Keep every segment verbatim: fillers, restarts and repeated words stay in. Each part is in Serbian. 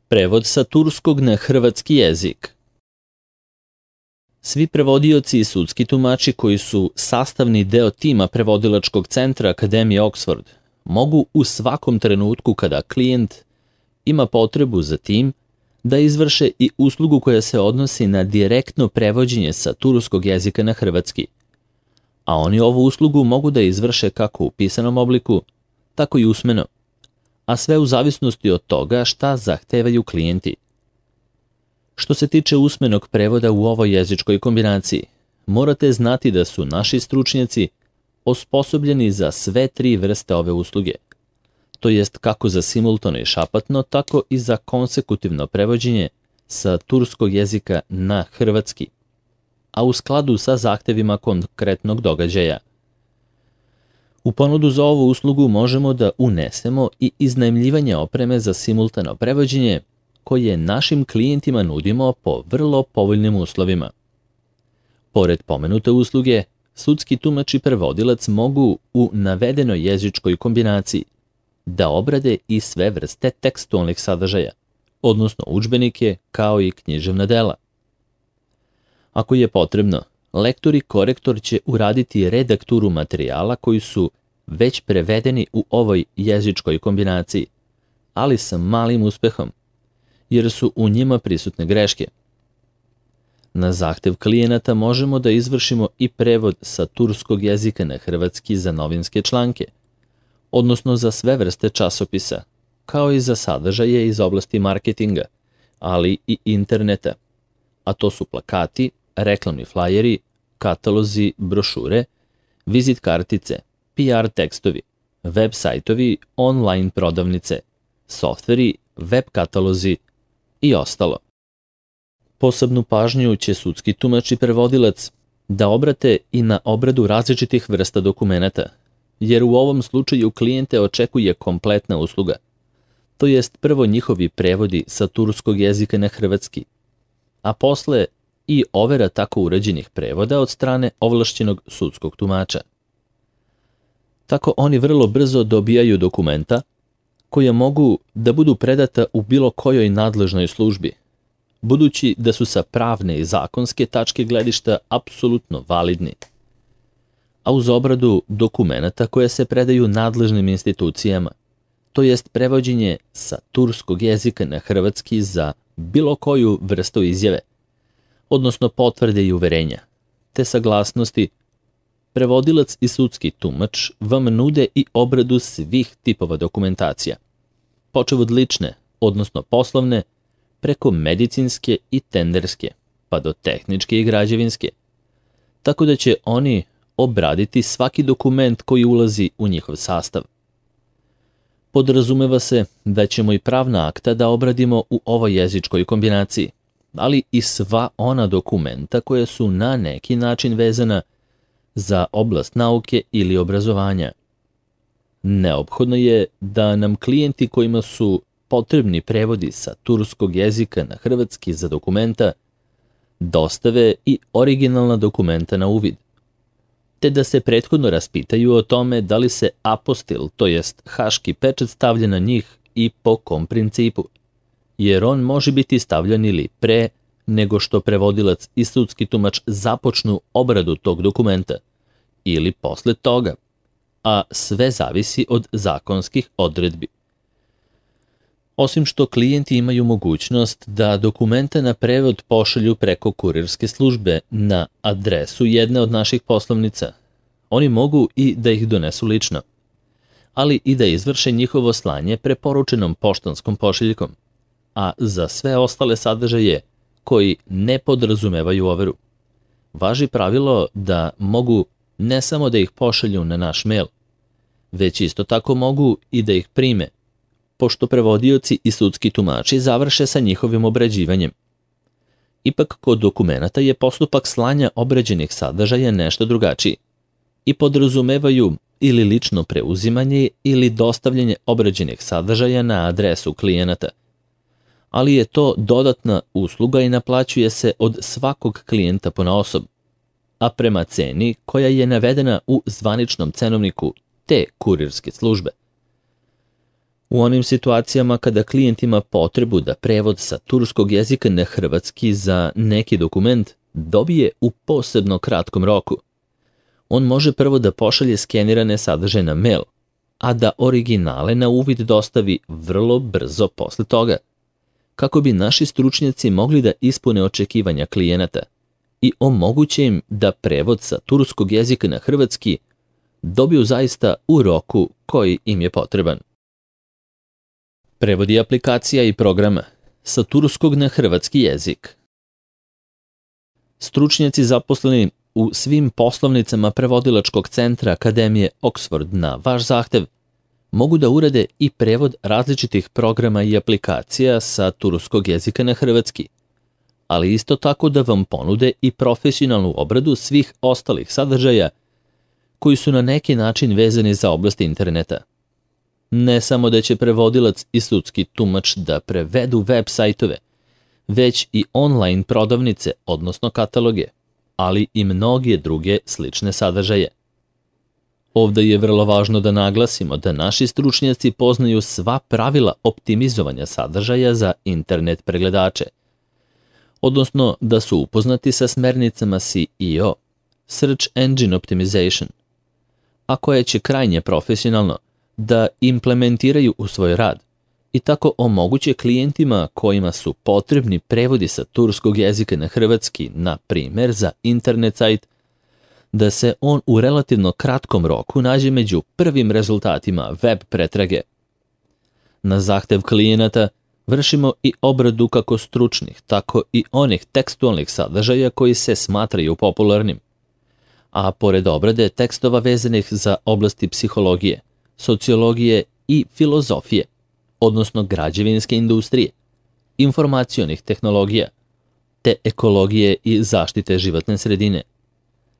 Prevod sa turskog na hrvatski jezik. Svi prevodioci i sudski tumači koji su sastavni deo tima prevodilačkog centra Akademije Oxford mogu u svakom trenutku kada klijent ima potrebu za tim da izvrše i uslugu koja se odnosi na direktno prevođenje sa turskog jezika na hrvatski. A oni ovu uslugu mogu da izvrše kako u pisanom obliku, tako i usmeno, a sve u zavisnosti od toga šta zahtevaju klijenti. Što se tiče usmenog prevoda u ovoj jezičkoj kombinaciji, morate znati da su naši stručnjaci osposobljeni za sve tri vrste ove usluge, to jest kako za simultano i šapatno, tako i za konsekutivno prevođenje sa turskog jezika na hrvatski, a u skladu sa zahtevima konkretnog događaja. U ponudu za ovu uslugu možemo da unesemo i iznajmljivanje opreme za simultano prevođenje koje našim klijentima nudimo po vrlo povoljnim uslovima. Pored pomenute usluge, sudski tumač i prevodilac mogu u navedenoj jezičkoj kombinaciji da obrade i sve vrste tekstualnih sadržaja, odnosno udžbenike kao i književna dela. Ako je potrebno, lektor i korektor će uraditi redakturu materijala koji su već prevedeni u ovoj jezičkoj kombinaciji, ali sa malim uspehom, jer su u njima prisutne greške. Na zahtev klijenata možemo da izvršimo i prevod sa turskog jezika na hrvatski za novinske članke, odnosno za sve vrste časopisa, kao i za sadržaje iz oblasti marketinga, ali i interneta, a to su plakati, reklamni flajeri, katalozi, brošure, vizit kartice, P R tekstovi, web sajtovi, online prodavnice, softveri, web katalozi i ostalo. Posebnu pažnju će sudski tumač i prevodilac da obrate i na obradu različitih vrsta dokumenata, jer u ovom slučaju klijente očekuje kompletna usluga, to jest prvo njihovi prevodi sa turskog jezika na hrvatski, a posle i overa tako urađenih prevoda od strane ovlašćenog sudskog tumača. Tako oni vrlo brzo dobijaju dokumenta koja mogu da budu predata u bilo kojoj nadležnoj službi, budući da su sa pravne i zakonske tačke gledišta apsolutno validni. A uz obradu dokumenata koje se predaju nadležnim institucijama, to jest prevođenje sa turskog jezika na hrvatski za bilo koju vrstu izjave, odnosno potvrde i uverenja, te saglasnosti, prevodilac i sudski tumač vam nude i obradu svih tipova dokumentacija, počev od lične, odnosno poslovne, preko medicinske i tenderske, pa do tehničke i građevinske, tako da će oni obraditi svaki dokument koji ulazi u njihov sastav. Podrazumeva se da ćemo i pravna akta da obradimo u ovoj jezičkoj kombinaciji, ali i sva ona dokumenta koja su na neki način vezana za oblast nauke ili obrazovanja. Neophodno je da nam klijenti kojima su potrebni prevodi sa turskog jezika na hrvatski za dokumenta dostave i originalna dokumenta na uvid, te da se prethodno raspitaju o tome da li se apostil, to jest haški pečat stavlja na njih i po kom principu, jer on može biti stavljan ili pre nego što prevodilac i sudski tumač započnu obradu tog dokumenta, ili posle toga, a sve zavisi od zakonskih odredbi. Osim što klijenti imaju mogućnost da dokumenta na prevod pošalju preko kurirske službe na adresu jedne od naših poslovnica, oni mogu i da ih donesu lično, ali i da izvrše njihovo slanje preporučenom poštanskom pošiljkom, a za sve ostale sadržaje koji ne podrazumevaju overu, važi pravilo da mogu ne samo da ih pošalju na naš mail, već isto tako mogu i da ih prime, pošto prevodioci i sudski tumači završe sa njihovim obrađivanjem. Ipak kod dokumenata je postupak slanja obrađenih sadržaja nešto drugačiji i podrazumevaju ili lično preuzimanje ili dostavljanje obrađenih sadržaja na adresu klijenata, ali je to dodatna usluga i naplaćuje se od svakog klijenta ponaosob, a prema ceni koja je navedena u zvaničnom cenovniku te kurirske službe. U onim situacijama kada klijent ima potrebu da prevod sa turskog jezika na hrvatski za neki dokument dobije u posebno kratkom roku, on može prvo da pošalje skenirane sadržaje na mail, a da originale na uvid dostavi vrlo brzo posle toga, kako bi naši stručnjaci mogli da ispune očekivanja klijenata i omoguće im da prevod sa turskog jezika na hrvatski dobiju zaista u roku koji im je potreban. Prevodi aplikacija i programa sa turskog na hrvatski jezik. Stručnjaci zaposleni u svim poslovnicama prevodilačkog centra Akademije Oxford na vaš zahtev mogu da urade i prevod različitih programa i aplikacija sa turskog jezika na hrvatski, ali isto tako da vam ponude i profesionalnu obradu svih ostalih sadržaja koji su na neki način vezani za oblast interneta. Ne samo da će prevodilac i sudski tumač da prevedu web sajtove, već i online prodavnice, odnosno kataloge, ali i mnoge druge slične sadržaje. Ovde je vrlo važno da naglasimo da naši stručnjaci poznaju sva pravila optimizovanja sadržaja za internet pregledače, odnosno da su upoznati sa smernicama S E O, Search Engine Optimization, a koje će krajnje profesionalno da implementiraju u svoj rad i tako omoguće klijentima kojima su potrebni prevodi sa turskog jezika na hrvatski, na primer za internet sajt, da se on u relativno kratkom roku nađe među prvim rezultatima web pretrage. Na zahtev klijenata vršimo i obradu kako stručnih, tako i onih tekstualnih sadržaja koji se smatraju popularnim. A pored obrade tekstova vezanih za oblasti psihologije, sociologije i filozofije, odnosno građevinske industrije, informacionih tehnologija, te ekologije i zaštite životne sredine,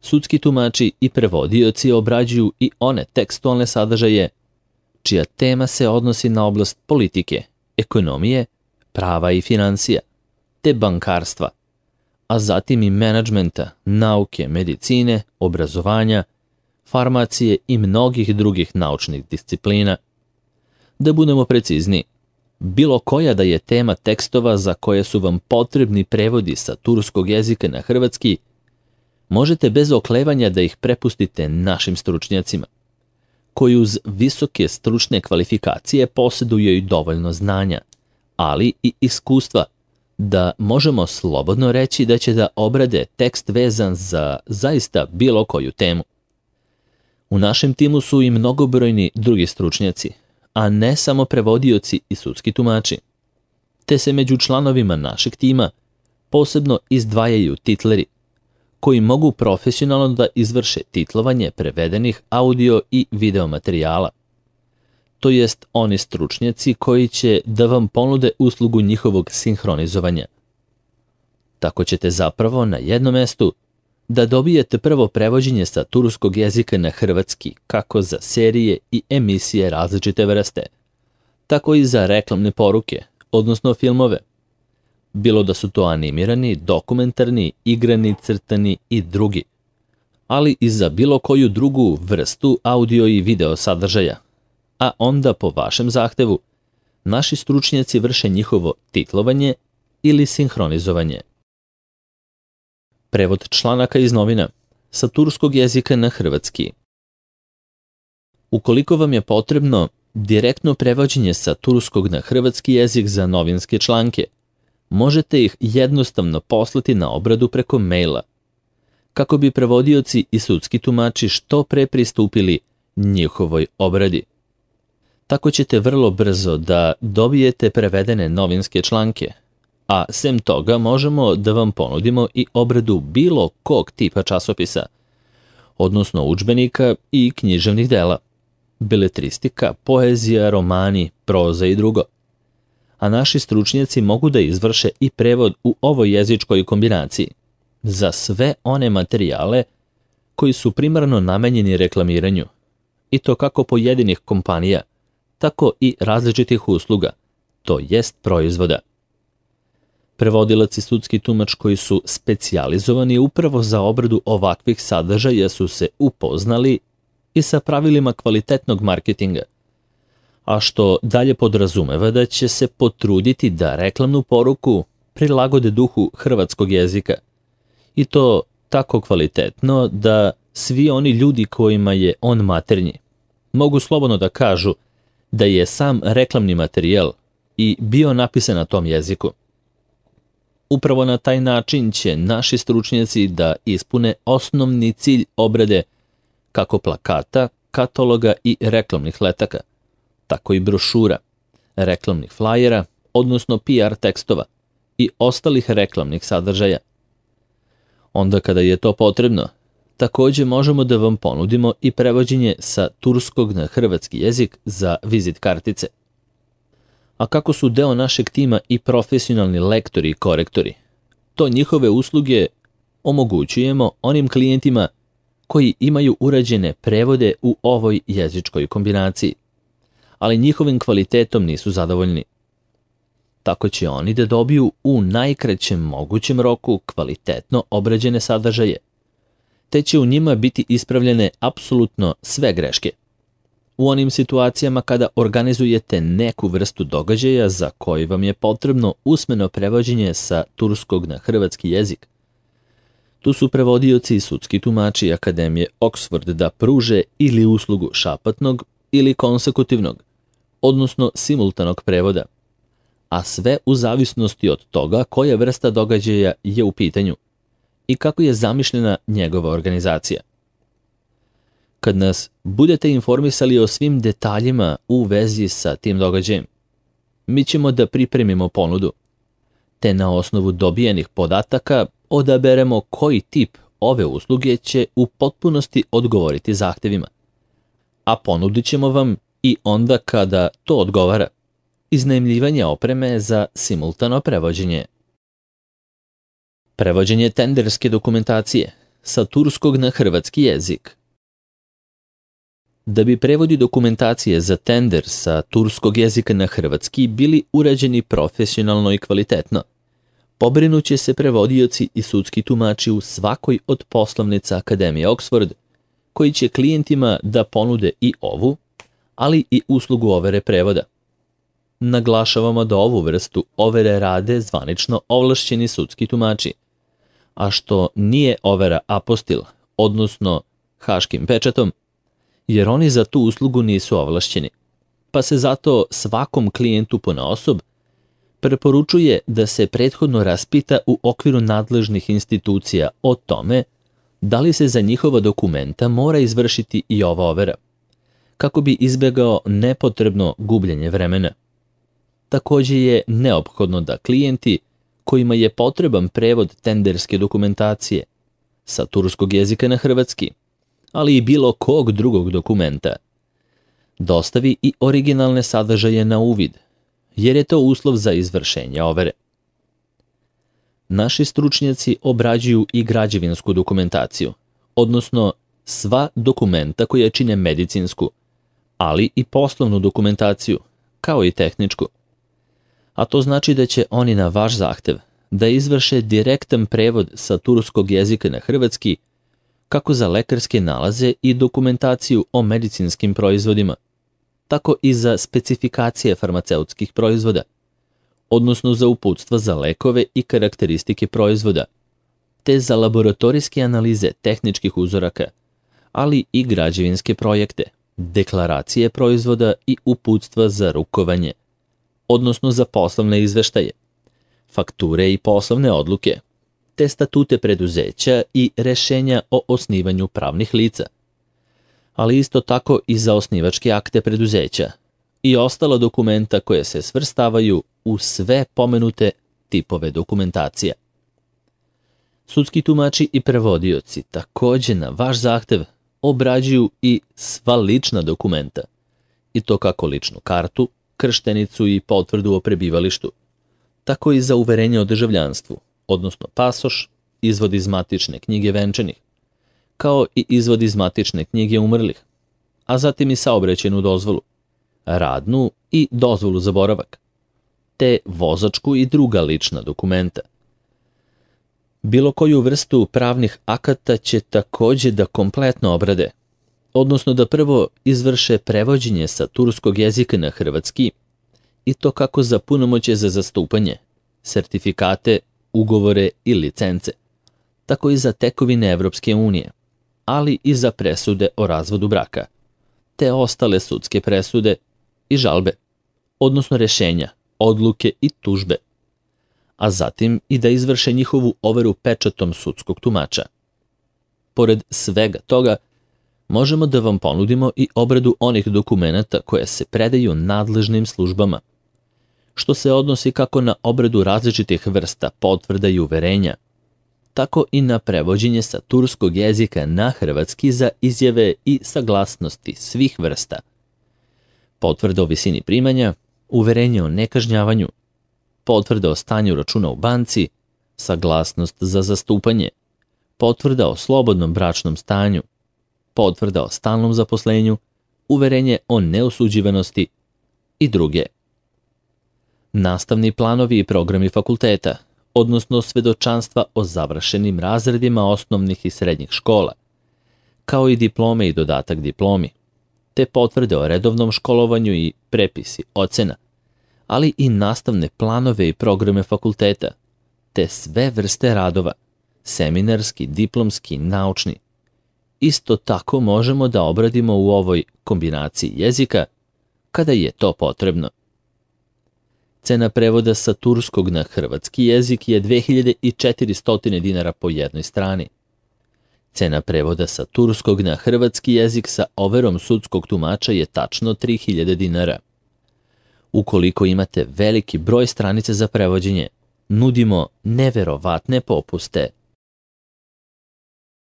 sudski tumači i prevodioci obrađuju i one tekstualne sadržaje čija tema se odnosi na oblast politike, ekonomije, prava i financija, te bankarstva, a zatim i menadžmenta, nauke, medicine, obrazovanja, farmacije i mnogih drugih naučnih disciplina. Da budemo precizni, bilo koja da je tema tekstova za koje su vam potrebni prevodi sa turskog jezika na hrvatski, možete bez oklevanja da ih prepustite našim stručnjacima, koji uz visoke stručne kvalifikacije posjeduju i dovoljno znanja, ali i iskustva, da možemo slobodno reći da će da obrade tekst vezan za zaista bilo koju temu. U našem timu su i mnogobrojni drugi stručnjaci, a ne samo prevodioci i sudski tumači, te se među članovima našeg tima posebno izdvajaju titleri, koji mogu profesionalno da izvrše titlovanje prevedenih audio i video materijala. To jest oni stručnjaci koji će da vam ponude uslugu njihovog sinhronizovanja. Tako ćete zapravo na jednom mestu da dobijete prvo prevođenje sa turskog jezika na hrvatski kako za serije i emisije različite vrste, tako i za reklamne poruke, odnosno filmove, bilo da su to animirani, dokumentarni, igrani, crtani i drugi, ali i za bilo koju drugu vrstu audio i video sadržaja, a onda po vašem zahtevu naši stručnjaci vrše njihovo titlovanje ili sinhronizovanje. Prevod članaka iz novina sa turskog jezika na hrvatski. Ukoliko vam je potrebno direktno prevođenje sa turskog na hrvatski jezik za novinske članke, možete ih jednostavno poslati na obradu preko maila, kako bi prevodioci i sudski tumači što pre pristupili njihovoj obradi. Tako ćete vrlo brzo da dobijete prevedene novinske članke, a sem toga možemo da vam ponudimo i obradu bilo kog tipa časopisa, odnosno udžbenika i književnih dela, beletristika, poezija, romani, proza i drugo. A naši stručnjaci mogu da izvrše i prevod u ovoj jezičkoj kombinaciji za sve one materijale koji su primarno namenjeni reklamiranju, i to kako pojedinih kompanija, tako i različitih usluga, to jest proizvoda. Prevodilac i sudski tumač koji su specijalizovani upravo za obradu ovakvih sadržaja su se upoznali i sa pravilima kvalitetnog marketinga, a što dalje podrazumeva da će se potruditi da reklamnu poruku prilagode duhu hrvatskog jezika. I to tako kvalitetno da svi oni ljudi kojima je on maternji mogu slobodno da kažu da je sam reklamni materijal i bio napisan na tom jeziku. Upravo na taj način će naši stručnjaci da ispune osnovni cilj obrade kako plakata, kataloga i reklamnih letaka, tako i brošura, reklamnih flajera, odnosno P R tekstova i ostalih reklamnih sadržaja. Onda kada je to potrebno, takođe možemo da vam ponudimo i prevođenje sa turskog na hrvatski jezik za vizit kartice. A kako su deo našeg tima i profesionalni lektori i korektori, to njihove usluge omogućujemo onim klijentima koji imaju urađene prevode u ovoj jezičkoj kombinaciji, ali njihovim kvalitetom nisu zadovoljni. Tako će oni da dobiju u najkraćem mogućem roku kvalitetno obrađene sadržaje, te će u njima biti ispravljene apsolutno sve greške. U onim situacijama kada organizujete neku vrstu događaja za koji vam je potrebno usmeno prevođenje sa turskog na hrvatski jezik, tu su prevodioci i sudski tumači Akademije Oxford da pruže ili uslugu šapatnog ili konsekutivnog, odnosno simultanog prevoda, a sve u zavisnosti od toga koja vrsta događaja je u pitanju i kako je zamišljena njegova organizacija. Kad nas budete informisali o svim detaljima u vezi sa tim događajem, mi ćemo da pripremimo ponudu, te na osnovu dobijenih podataka odaberemo koji tip ove usluge će u potpunosti odgovoriti zahtevima, a ponudit ćemo vam i onda kada to odgovara iznajmljivanje opreme za simultano prevođenje. Prevođenje tenderske dokumentacije sa turskog na hrvatski jezik. Da bi prevodi dokumentacije za tender sa turskog jezika na hrvatski bili urađeni profesionalno i kvalitetno, pobrinuće se prevodioci i sudski tumači u svakoj od poslovnica Akademije Oxford, koji će klijentima da ponude i ovu, ali i uslugu overe prevoda. Naglašavamo da ovu vrstu overe rade zvanično ovlašćeni sudski tumači, a što nije overa apostil, odnosno haškim pečatom, jer oni za tu uslugu nisu ovlašćeni, pa se zato svakom klijentu ponaosob preporučuje da se prethodno raspita u okviru nadležnih institucija o tome da li se za njihova dokumenta mora izvršiti i ova overa, kako bi izbegao nepotrebno gubljenje vremena. Takođe je neophodno da klijenti kojima je potreban prevod tenderske dokumentacije sa turskog jezika na hrvatski, ali i bilo kog drugog dokumenta, dostavi i originalne sadržaje na uvid, jer je to uslov za izvršenje overe. Naši stručnjaci obrađuju i građevinsku dokumentaciju, odnosno sva dokumenta koja čine medicinsku, ali i poslovnu dokumentaciju, kao i tehničku. A to znači da će oni na vaš zahtev da izvrše direktan prevod sa turskog jezika na hrvatski, kako za lekarske nalaze i dokumentaciju o medicinskim proizvodima, tako i za specifikacije farmaceutskih proizvoda, odnosno za uputstva za lekove i karakteristike proizvoda, te za laboratorijske analize tehničkih uzoraka, ali i građevinske projekte, deklaracije proizvoda i uputstva za rukovanje, odnosno za poslovne izveštaje, fakture i poslovne odluke, te statute preduzeća i rešenja o osnivanju pravnih lica, ali isto tako i za osnivačke akte preduzeća i ostala dokumenta koje se svrstavaju u sve pomenute tipove dokumentacija. Sudski tumači i prevodioci takođe na vaš zahtev obrađuju i sva lična dokumenta, i to kako ličnu kartu, krštenicu i potvrdu o prebivalištu, tako i za uverenje o državljanstvu, odnosno pasoš, izvod iz matične knjige venčanih, kao i izvod iz matične knjige umrlih, a zatim i saobraćajnu dozvolu, radnu i dozvolu za boravak, te vozačku i druga lična dokumenta. Bilo koju vrstu pravnih akata će takođe da kompletno obrade, odnosno da prvo izvrše prevođenje sa turskog jezika na hrvatski, i to kako za punomoćje za zastupanje, sertifikate, ugovore i licence, tako i za tekovine Evropske unije, ali i za presude o razvodu braka, te ostale sudske presude i žalbe, odnosno rešenja, odluke i tužbe, a zatim i da izvrše njihovu overu pečatom sudskog tumača. Pored svega toga, možemo da vam ponudimo i obradu onih dokumenata koje se predaju nadležnim službama, što se odnosi kako na obradu različitih vrsta potvrda i uverenja, tako i na prevođenje sa turskog jezika na hrvatski za izjave i saglasnosti svih vrsta, potvrda o visini primanja, uverenje o nekažnjavanju, potvrda o stanju računa u banci, saglasnost za zastupanje, potvrda o slobodnom bračnom stanju, potvrda o stalnom zaposlenju, uverenje o neosuđivanosti i druge. Nastavni planovi i programi fakulteta, odnosno svedočanstva o završenim razredima osnovnih i srednjih škola, kao i diplome i dodatak diplomi, te potvrde o redovnom školovanju i prepisi ocena, ali i nastavne planove i programe fakulteta, te sve vrste radova, seminarski, diplomski, naučni. Isto tako možemo da obradimo u ovoj kombinaciji jezika kada je to potrebno. Cena prevoda sa turskog na hrvatski jezik je dve hiljade četiristo dinara po jednoj strani. Cena prevoda sa turskog na hrvatski jezik sa overom sudskog tumača je tačno tri hiljade dinara. Ukoliko imate veliki broj stranica za prevođenje, nudimo neverovatne popuste.